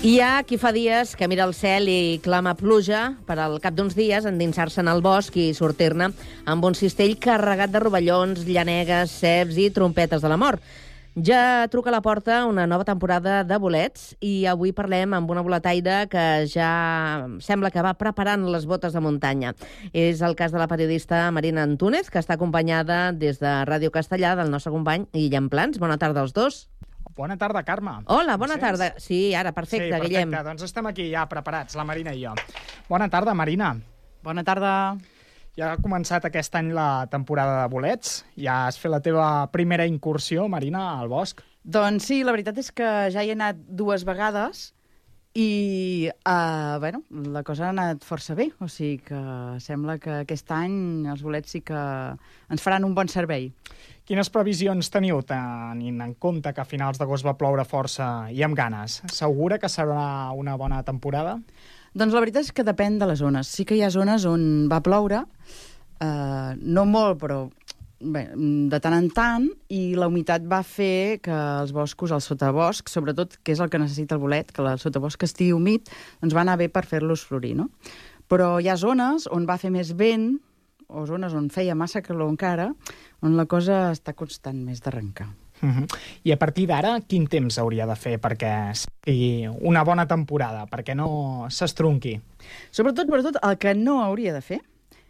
Hi ha qui fa dies que mira el cel i clama pluja per al cap d'uns dies endinsar-se en el bosc i sortir-ne amb un cistell carregat de rovellons, llanegues, ceps i trompetes de la mort. Ja truca a la porta una nova temporada de bolets i avui parlem amb una boletaire que ja sembla que va preparant les botes de muntanya. És el cas de la periodista Marina Antúnez, que està acompanyada des de Ràdio Castellà del nostre company Guillem Plans. Bona tarda als dos. Bona tarda, Carme. Hola, bona tarda. Sí, ara, perfecte, sí, Guillem. Perfecte, doncs estem aquí ja preparats, la Marina i jo. Bona tarda, Marina. Bona tarda. Ja ha començat aquest any la temporada de bolets. Ja has fet la teva primera incursió, Marina, al bosc. Doncs sí, la veritat és que ja hi he anat 2 vegades i, bueno, la cosa ha anat força bé. O sigui que sembla que aquest any els bolets sí que ens faran un bon servei. Quines previsions teniu, tenint en compte que a finals d'agost va ploure força i amb ganes? Segura que serà una bona temporada? Doncs la veritat és que depèn de les zones. Sí que hi ha zones on va ploure, no molt, però bé, de tant en tant, i la humitat va fer que els boscos, el sotabosc, sobretot, que és el que necessita el bolet, que el sotabosc estigui humit, doncs va anar bé per fer-los florir, no? Però hi ha zones on va fer més vent, o zones on feia massa calor encara, on la cosa està constant més d'arrencar. I a partir d'ara, quin temps hauria de fer perquè sigui una bona temporada, perquè no s'estronqui? Sobretot, el que no hauria de fer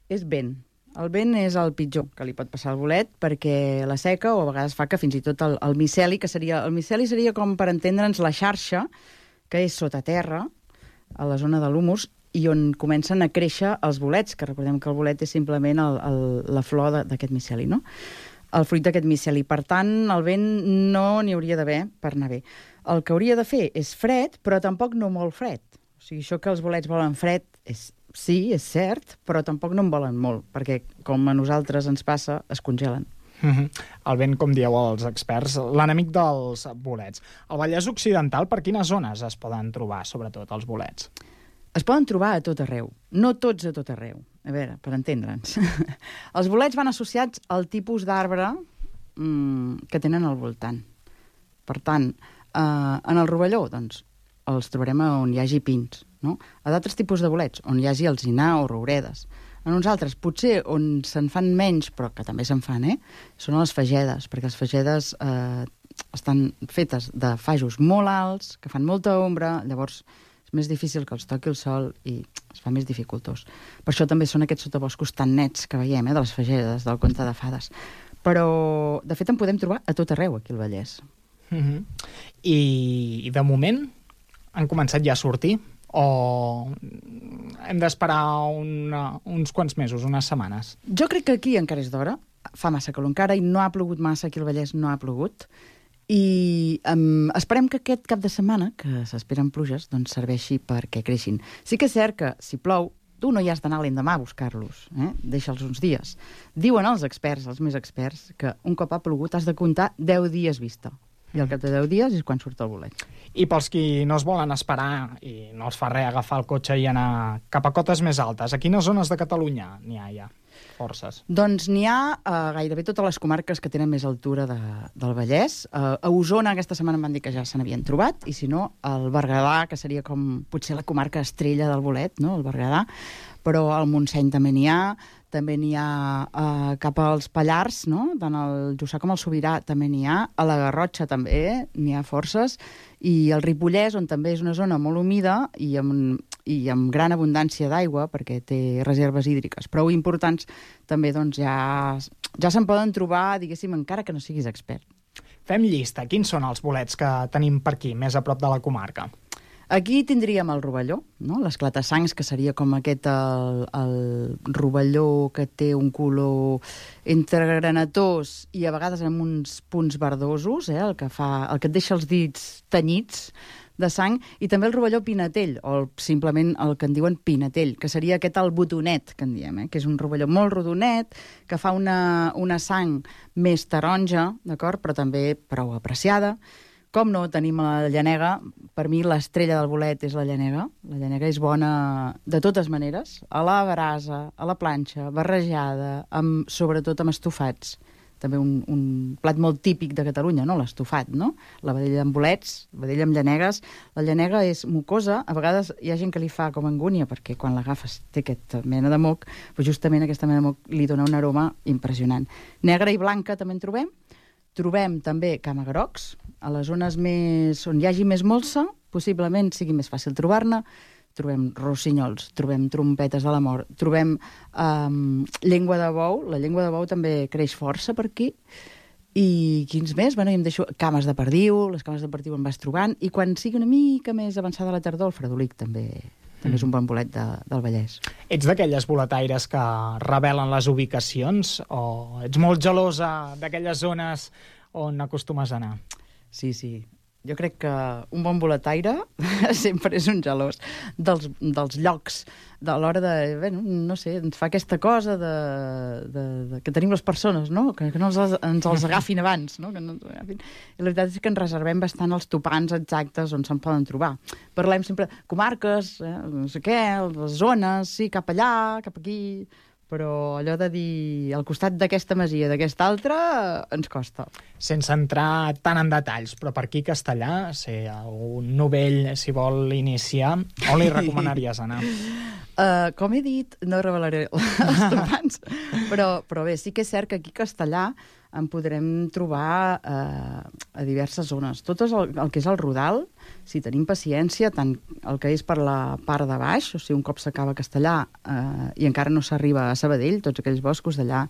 és vent. El vent és el pitjor que li pot passar al bolet, perquè la seca o a vegades fa que fins i tot el miceli, que seria... El miceli seria com, per entendre'ns, la xarxa, que és sota terra, a la zona de l'humus, i on comencen a créixer els bolets, que recordem que el bolet és simplement la flor d'aquest miceli, no? El fruit d'aquest miceli. Per tant, el vent no n'hi hauria d'haver per anar bé. El que hauria de fer és fred, però tampoc no molt fred. O sigui, això que els bolets volen fred, sí, és cert, però tampoc no en volen molt, perquè, com a nosaltres ens passa, es congelen. El vent, com dieu els experts, l'enemic dels bolets. Al Vallès Occidental, per quines zones es poden trobar, sobretot, els bolets? Es poden trobar a tot arreu, no tots a tot arreu. A veure, per entendre'ns. Els bolets van associats al tipus d'arbre que tenen al voltant. Per tant, en el rovelló, doncs, els trobarem on hi hagi pins, no? A d'altres tipus de bolets, on hi hagi alzinar o rouredes. En uns altres, potser on se'n fan menys, però que també se'n fan, són les fagedes, perquè les fagedes estan fetes de fajos molt alts, que fan molta ombra, llavors és més difícil que els toqui el sol i es fa més dificultós. Per això també són aquests sotaboscos tan nets que veiem, de les fagedes, del conte de fades. Però, de fet, en podem trobar a tot arreu, aquí al Vallès. I, de moment, han començat ja a sortir? O hem d'esperar uns quants mesos, unes setmanes? Jo crec que aquí encara és d'hora. Fa massa calor encara i no ha plogut massa, aquí al Vallès no ha plogut. I esperem que aquest cap de setmana, que s'esperen pluges, doncs serveixi perquè creixin. Sí que és cert que, si plou, tu no hi has d'anar l'endemà a buscar-los, deixa'ls uns dies. Diuen els experts, els més experts, que un cop ha plogut has de comptar 10 dies vista. I al cap de 10 dies és quan surt el bolet. I pels qui no es volen esperar i no els fa res agafar el cotxe i anar cap a cotes més altes, a quines zones de Catalunya n'hi ha ja forces? Doncs n'hi ha a gairebé totes les comarques que tenen més altura del Vallès. A Osona aquesta setmana em van dir que ja se n'havien trobat, i si no, al Berguedà, que seria com potser la comarca estrella del bolet, no?, el Berguedà, però al Montseny també n'hi ha, també n'hi ha cap als Pallars, no?, tant el Jussà com el Sobirà també n'hi ha, a la Garrotxa també n'hi ha forces, i el Ripollès, on també és una zona molt humida i amb gran abundància d'aigua, perquè té reserves hídriques prou importants, també doncs, ja se'n poden trobar, diguéssim, encara que no siguis expert. Fem llista. Quins són els bolets que tenim per aquí, més a prop de la comarca? Aquí tindríem el rovelló, no?, l'esclata-sangs, que seria com aquest el rovelló que té un color entre granatós i a vegades amb uns punts verdosos, el que et deixa els dits tenyits de sang, i també el rovelló pinatell, o simplement el que en diuen pinatell, que seria aquest el botonet, que en diem, que és un rovelló molt rodonet, que fa una sang més taronja, d'acord?, però també prou apreciada. Com no, tenim la llanega. Per mi l'estrella del bolet és la llanega. La llanega és bona de totes maneres, a la brasa, a la planxa, barrejada, sobretot amb estofats. també un plat molt típic de Catalunya, no? L'estofat, no? La vedella amb bolets, vedella amb llanegues. La llanega és mucosa, a vegades hi ha gent que li fa com angúnia, perquè quan l'agafes té aquesta mena de moc, però justament aquesta mena de moc li dona un aroma impressionant. Negra i blanca també en trobem. Trobem també camagrocs, a les zones on hi hagi més molsa, possiblement sigui més fàcil trobar-ne. Trobem rossinyols, trobem trompetes de la mort, trobem llengua de bou. La llengua de bou també creix força per aquí. I quins més? Bueno, em deixo cames de perdiu, les cames de perdiu en vas trobant, i quan sigui una mica més avançada la tardor, el fredolic també és un bon bolet del Vallès. Ets d'aquelles boletaires que revelen les ubicacions o ets molt gelosa d'aquelles zones on acostumes a anar? Sí. Jo crec que un bon boletaire sempre és un gelós dels llocs, a l'hora de, no sé, ens fa aquesta cosa que tenim les persones, no? Que no ens els agafin abans, no? Que no ens agafin. I la veritat és que ens reservem bastant els topants exactes on se'n poden trobar. Parlem sempre comarques, no sé què, les zones, sí, cap allà, cap aquí, però allò de dir al costat d'aquesta masia, d'aquesta altra, ens costa. Sense entrar tant en detalls, però per aquí Castellà, si un novell s'hi vol iniciar, on li recomanaries anar? Com he dit, no revelaré els topants, però bé, sí que és cert que aquí a Castellà en podrem trobar a diverses zones. Tot el que és el Rodal, si tenim paciència, tant el que és per la part de baix, o sigui, un cop s'acaba Castellà i encara no s'arriba a Sabadell, tots aquells boscos d'allà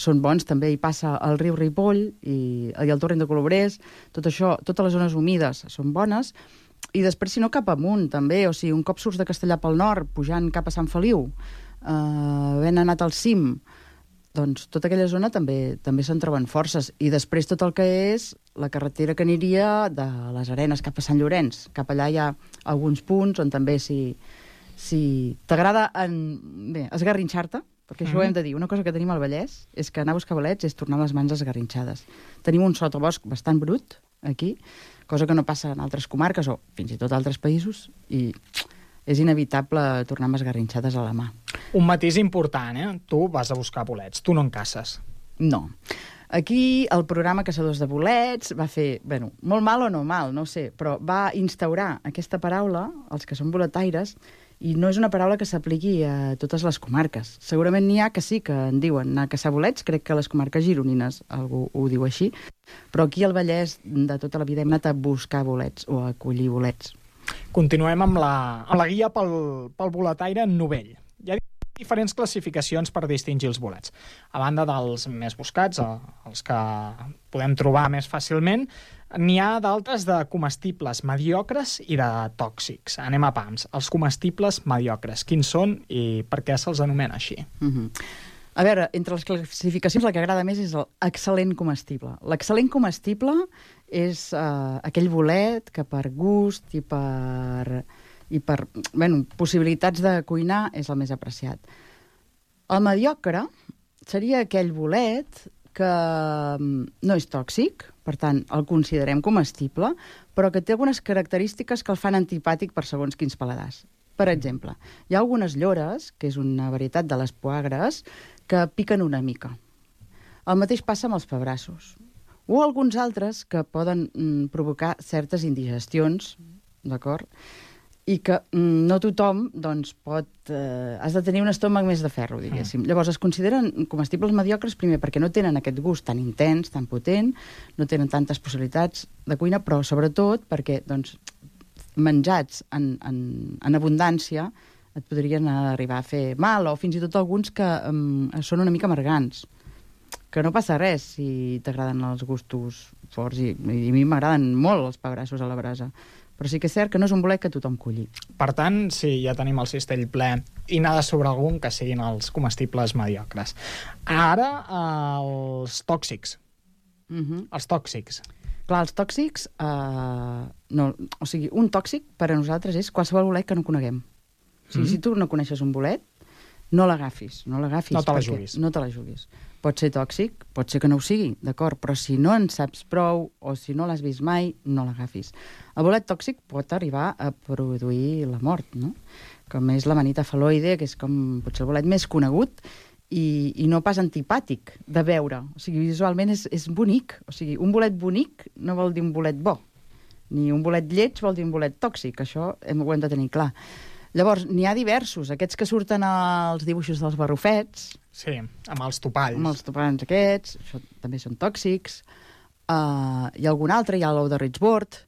són bons. També hi passa el riu Ripoll i el torrent de Colobrers, tot això, totes les zones humides són bones. I després, si no, cap amunt, també. O sigui, un cop surts de Castellà pel nord, pujant cap a Sant Feliu, havent anat al cim, doncs tota aquella zona també se'n troben forces. I després tot el que és la carretera que aniria de les Arenes cap a Sant Llorenç. Cap allà hi ha alguns punts on també si t'agrada esgarrinxar-te, perquè això ho hem de dir. Una cosa que tenim al Vallès és que anar a buscar bolets és tornar les mans esgarrinxades. Tenim un sotabosc bastant brut aquí, cosa que no passa en altres comarques o fins i tot altres països, i és inevitable tornar amb esgarrinxades a la mà. Un matís important, Tu vas a buscar bolets, tu no en caces. No. Aquí el programa Caçadors de Bolets va fer, molt mal o no mal, no ho sé, però va instaurar aquesta paraula, els que són boletaires, i no és una paraula que s'apliqui a totes les comarques. Segurament n'hi ha que sí que en diuen anar a caçar bolets, crec que a les comarques gironines algú ho diu així, però aquí al Vallès de tota la vida hem anat a buscar bolets o a collir bolets. Continuem amb la guia pel boletaire novell. Hi ha diferents classificacions per distingir els bolets. A banda dels més buscats, els que podem trobar més fàcilment, n'hi ha d'altres de comestibles mediocres i de tòxics. Anem a pams. Els comestibles mediocres, quins són i per què se'ls anomena així? A veure, entre les classificacions la que agrada més és l'excel·lent comestible. L'excel·lent comestible és aquell bolet que per gust i per possibilitats de cuinar és el més apreciat. El mediocre seria aquell bolet que no és tòxic, per tant, el considerem comestible, però que té algunes característiques que el fan antipàtic per segons quins paladars. Per exemple, hi ha algunes llores, que és una varietat de les poagres, que piquen una mica. El mateix passa amb els pebrassos. O alguns altres que poden provocar certes indigestions, d'acord? I que no tothom, doncs, has de tenir un estómac més de ferro, diguéssim. Llavors, es consideren comestibles mediocres, primer, perquè no tenen aquest gust tan intens, tan potent, no tenen tantes possibilitats de cuina, però, sobretot, perquè, doncs, menjats en abundància et podrien arribar a fer mal, o fins i tot alguns que són una mica amargants. Que no passa res si t'agraden els gustos forts, i a mi m'agraden molt els pebrassos a la brasa. Però sí que és cert que no és un bolet que tothom culli. Per tant, sí, ja tenim el cistell ple i nada sobre algun que siguin els comestibles mediocres. Ara, els tòxics. Els tòxics. Clar, els tòxics... o sigui, un tòxic per a nosaltres és qualsevol bolet que no coneguem. O sigui, si tu no coneixes un bolet, no l'agafis. No te la juguis. No te la juguis. Pot ser tòxic, pot ser que no ho sigui, d'acord, però si no en saps prou o si no l'has vist mai, no l'agafis. El bolet tòxic pot arribar a produir la mort, no? Com és la manita fal·loide, que és com potser el bolet més conegut i no pas antipàtic de veure. O sigui, visualment és bonic. O sigui, un bolet bonic no vol dir un bolet bo, ni un bolet lleig vol dir un bolet tòxic. Això ho hem de tenir clar. Llavors, n'hi ha diversos. Aquests que surten als dibuixos dels barrufets... Sí, amb els topalls. Amb els topalls aquests, això també són tòxics. Hi ha algun altre, hi ha l'ou de Richboard,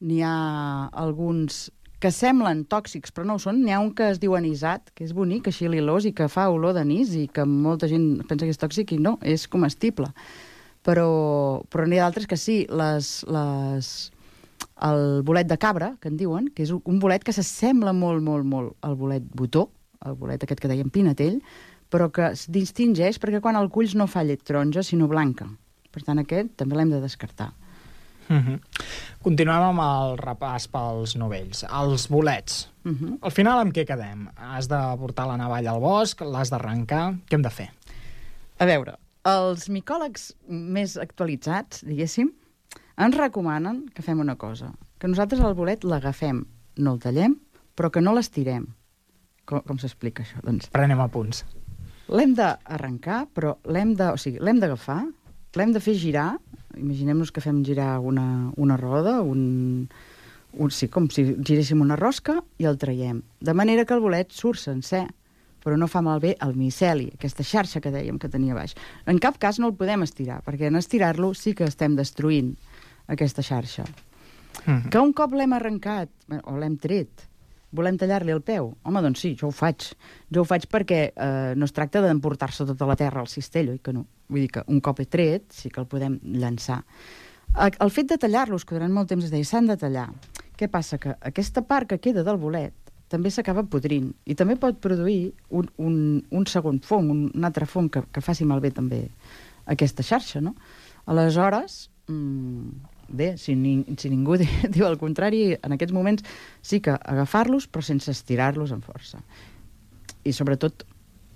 n'hi ha alguns que semblen tòxics, però no ho són. N'hi ha un que es diu anisat, que és bonic, així lilós, i que fa olor d'anís, i que molta gent pensa que és tòxic, i no, és comestible. Però n'hi ha d'altres que sí. El bolet de cabra, que en diuen, que és un bolet que s'assembla molt, molt, molt al bolet botó, el bolet aquest que dèiem pinatell, però que es distingeix perquè quan el culls no fa llet taronja, sinó blanca. Per tant, aquest també l'hem de descartar. Continuem amb el repàs pels novells. Els bolets. Al final amb què quedem? Has de portar la navalla al bosc, l'has d'arrencar... Què hem de fer? A veure, els micòlegs més actualitzats, diguéssim, ens recomanen que fem una cosa, que nosaltres el bolet l'agafem, no el tallem, però que no l'estirem. Com s'explica això? Doncs prenem apunts. l'hem d'arrencar, però l'hem d'agafar, l'hem de fer girar. Imaginem-nos que fem girar una roda, sí, com si giréssim una rosca, i el traiem. De manera que el bolet surt sencer, però no fa malbé el miceli, aquesta xarxa que dèiem que tenia baix. En cap cas no el podem estirar, perquè en estirar-lo sí que estem destruint aquesta xarxa. Que un cop l'hem arrencat, o l'hem tret, volem tallar-li el peu? Home, doncs sí, jo ho faig. Jo ho faig perquè no es tracta d'emportar-se tota la terra al cistell, oi que no? Vull dir que un cop he tret, sí que el podem llançar. El fet de tallar-los, que durant molt temps es deia, s'han de tallar. Què passa? Que aquesta part que queda del bolet també s'acaba podrint i també pot produir un segon fong, un altre fong que faci malbé també aquesta xarxa, no? Aleshores, bé, si ningú diu el contrari, en aquests moments sí que agafar-los, però sense estirar-los amb força. I sobretot,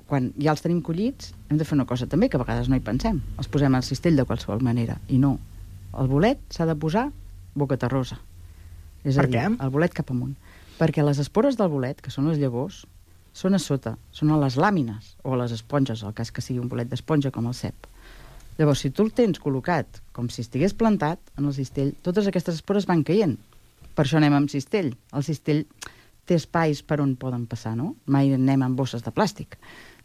quan ja els tenim collits, hem de fer una cosa també, que a vegades no hi pensem. Els posem al cistell de qualsevol manera. I no. El bolet s'ha de posar boca terrosa. És a dir, el bolet cap amunt. Perquè les espores del bolet, que són les llavors, són a sota, són a les làmines, o a les esponges, el cas que sigui un bolet d'esponja com el cep. Llavors, si tu el tens col·locat com si estigués plantat en el cistell, totes aquestes espores van caient. Per això anem amb cistell. El cistell té espais per on poden passar, no? Mai anem amb bosses de plàstic.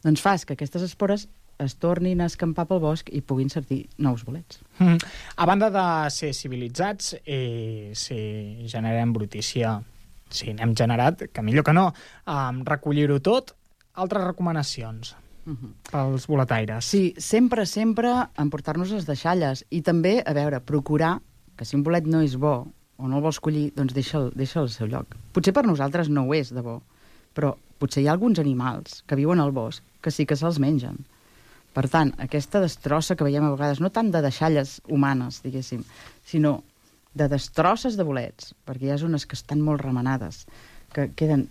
Doncs fas que aquestes espores es tornin a escampar pel bosc i puguin sortir nous bolets. A banda de ser civilitzats, si generem brutícia, si n'hem generat, que millor que no, recollir-ho tot, altres recomanacions pels boletaires. Sí, sempre emportar-nos les deixalles. I també, a veure, procurar que si un bolet no és bo o no el vols collir, doncs deixa'l al seu lloc. Potser per nosaltres no ho és de bo, però potser hi ha alguns animals que viuen al bosc que sí que se'ls mengen. Per tant, aquesta destrossa que veiem a vegades, no tant de deixalles humanes, diguéssim, sinó de destrosses de bolets, perquè hi ha zones que estan molt remenades, que queden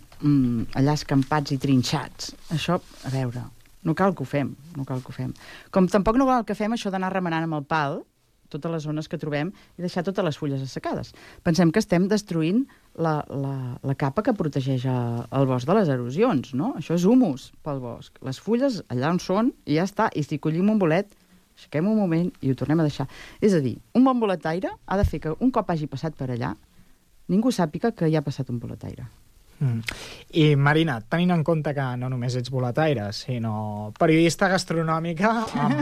allà escampats i trinxats. Això, a veure, no cal que ho fem, no cal que ho fem. Com tampoc no cal que fem això d'anar remenant amb el pal totes les zones que trobem i deixar totes les fulles assecades. Pensem que estem destruint la capa que protegeix el bosc de les erosions, no? Això és humus pel bosc. Les fulles allà on són i ja està. I si collim un bolet, aixequem un moment i ho tornem a deixar. És a dir, un bon boletaire ha de fer que un cop hagi passat per allà ningú sàpiga que hi ha passat un boletaire. I Marina, tenint en compte que no només ets boletaire, sinó periodista gastronòmica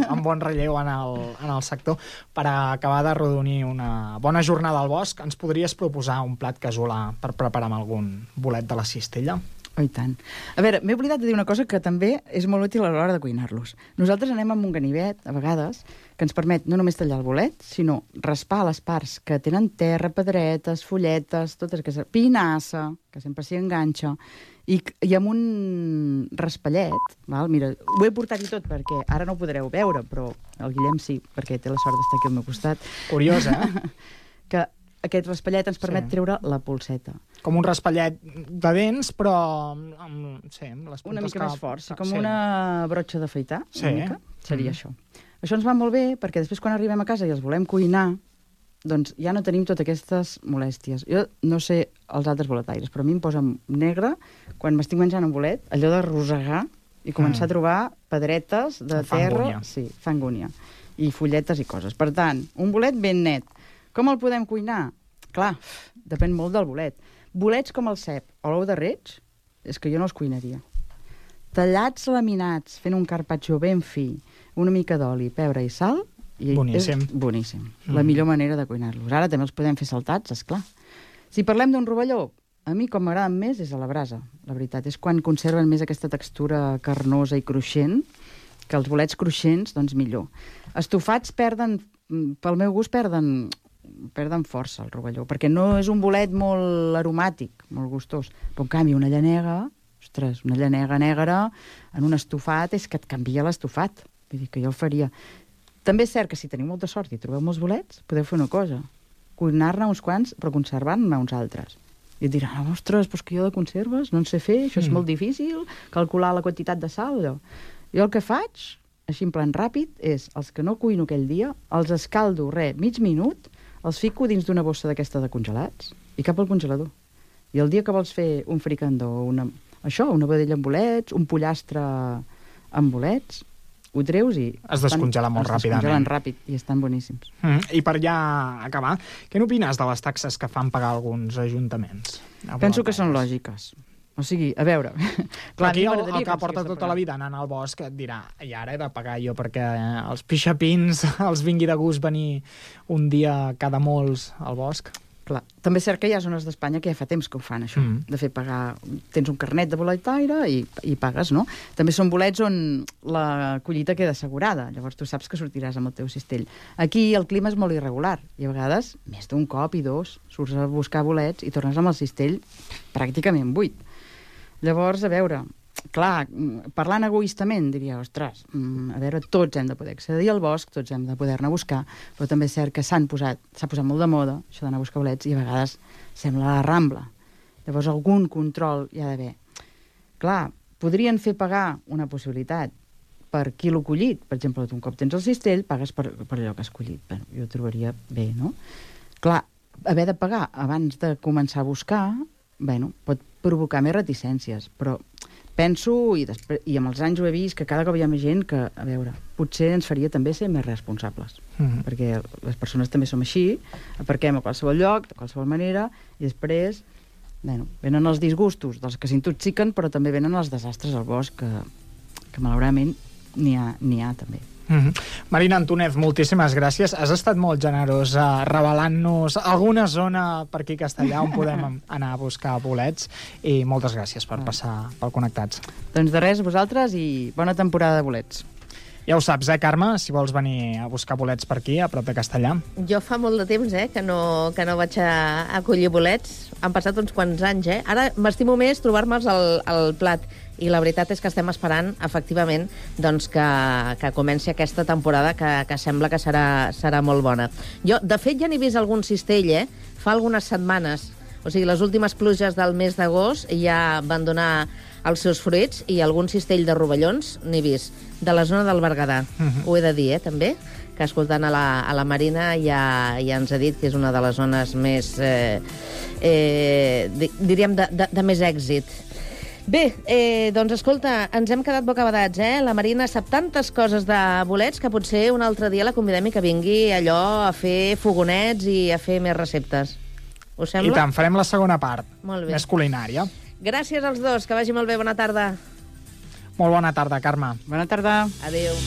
amb bon relleu en el sector, per acabar de rodonir una bona jornada al bosc, ens podries proposar un plat casolà per preparar amb algun bolet de la cistella? Oh, i tant. A veure, m'he oblidat de dir una cosa que també és molt útil a l'hora de cuinar-los. Nosaltres anem amb un ganivet, a vegades, que ens permet no només tallar el bolet, sinó raspar les parts que tenen terra, pedretes, folletes, totes aquestes... Pinassa, que sempre s'hi enganxa, i amb un raspallet, val? Mira, ho he portat i tot perquè ara no ho podreu veure, però el Guillem sí, perquè té la sort d'estar aquí al meu costat. Curiosa, eh? Que aquest raspallet ens permet treure la polseta. Com un raspallet de dents, però amb les puntes una mica més fort, com una brotxa d'afaitar, una mica, seria això. Això ens va molt bé, perquè després quan arribem a casa i els volem cuinar, doncs ja no tenim totes aquestes molèsties. Jo no sé els altres boletaires, però a mi em posa negre, quan m'estic menjant un bolet, allò de rosegar, i començar a trobar pedretes de terra... Angúnia. Sí, fa angúnia. I fulletes i coses. Per tant, un bolet ben net. Com el podem cuinar? Clar, depèn molt del bolet. Bolets com el cep o l'ou de reig, és que jo no els cuinaria. Tallats laminats, fent un carpaccio ben fi, una mica d'oli, pebre i sal, i boníssim. És boníssim. La millor manera de cuinar-los. Ara també els podem fer saltats, esclar. Si parlem d'un rovelló, a mi com m'agraden més és a la brasa. La veritat és quan conserven més aquesta textura carnosa i cruixent, que els bolets cruixents, doncs millor. Estofats perden, pel meu gust, perden força el rovelló, perquè no és un bolet molt aromàtic, molt gustós. Però en canvi una llanega, ostres, una llanega negra en un estofat és que et canvia l'estofat. Vull dir que jo el faria. També és cert que si teniu molta sort i trobeu molts bolets, podeu fer una cosa, cuinar-ne uns quants, però conservar-ne uns altres. I et diran, ostres, però que jo de conserves no en sé fer, això és molt difícil, calcular la quantitat de sal, allò. Jo el que faig, així en plan ràpid, és els que no cuino aquell dia, els escaldo, mig minut, els fico dins d'una bossa d'aquesta de congelats i cap al congelador. I el dia que vols fer un fricandó, una vedella amb bolets, un pollastre amb bolets, ho treus i... Es descongela molt ràpidament. Es descongelen ràpid i estan boníssims. I per ja acabar, què n'opines de les taxes que fan pagar alguns ajuntaments? Penso que són lògiques. O sigui, a veure... Clar, aquí el que porta tota la vida anant al bosc et dirà, i ara he de pagar jo perquè els pixapins els vingui de gust venir un dia cada molts al bosc. Clar. També és cert que hi ha zones d'Espanya que ja fa temps que ho fan, això, de fer pagar... Tens un carnet de boletaire i pagues, no? També són bolets on la collita queda assegurada, llavors tu saps que sortiràs amb el teu cistell. Aquí el clima és molt irregular, i a vegades, més d'un cop i dos, surts a buscar bolets i tornes amb el cistell pràcticament buit. Llavors, a veure, clar, parlant egoistament, diria, ostres, a veure, tots hem de poder accedir al bosc, tots hem de poder-ne buscar, però també és cert que s'ha posat molt de moda, això d'anar a buscar bolets, i a vegades sembla la Rambla. Llavors, algun control hi ha d'haver. Clar, podrien fer pagar una possibilitat per quilo collit. Per exemple, tu un cop tens el cistell, pagues per allò que has collit. Bé, jo ho trobaria bé, no? Clar, haver de pagar abans de començar a buscar, bueno, pot provocar més reticències, però penso, i amb els anys ho he vist, que cada cop hi ha més gent que, a veure, potser ens faria també ser més responsables, perquè les persones també som així, aparquem a qualsevol lloc, de qualsevol manera, i després, bueno, venen els disgustos dels que s'intoxiquen, però també venen els desastres al bosc, que malauradament n'hi ha també. Marina Antúnez, moltíssimes gràcies. Has estat molt generós revelant-nos alguna zona per aquí a Castellà on podem anar a buscar bolets, i moltes gràcies per passar pel Connectats. Doncs de res, vosaltres, i bona temporada de bolets. Ja ho saps, Carme, si vols venir a buscar bolets per aquí, a prop de Castellà. Jo fa molt de temps que no vaig a collir bolets. Han passat uns quants anys, Ara m'estimo més trobar-me'ls al plat. I la veritat és que estem esperant, efectivament, doncs que comenci aquesta temporada que sembla que serà molt bona. Jo, de fet, ja n'he vist algun cistell, fa algunes setmanes. O sigui, les últimes pluges del mes d'agost ja van donar els seus fruits, i algun cistell de rovellons n'he vist, de la zona del Berguedà. Ho he de dir, també, que escoltant a la Marina ja ens ha dit que és una de les zones més, diríem, de més èxit. Bé, doncs escolta, ens hem quedat bocabadats, La Marina sap tantes coses de bolets que potser un altre dia la convidem i que vingui allò a fer fogonets i a fer més receptes. Us sembla? I tant, farem la segona part, més culinària. Gràcies als dos, que vagi molt bé, bona tarda. Molt bona tarda, Carme. Bona tarda. Adéu.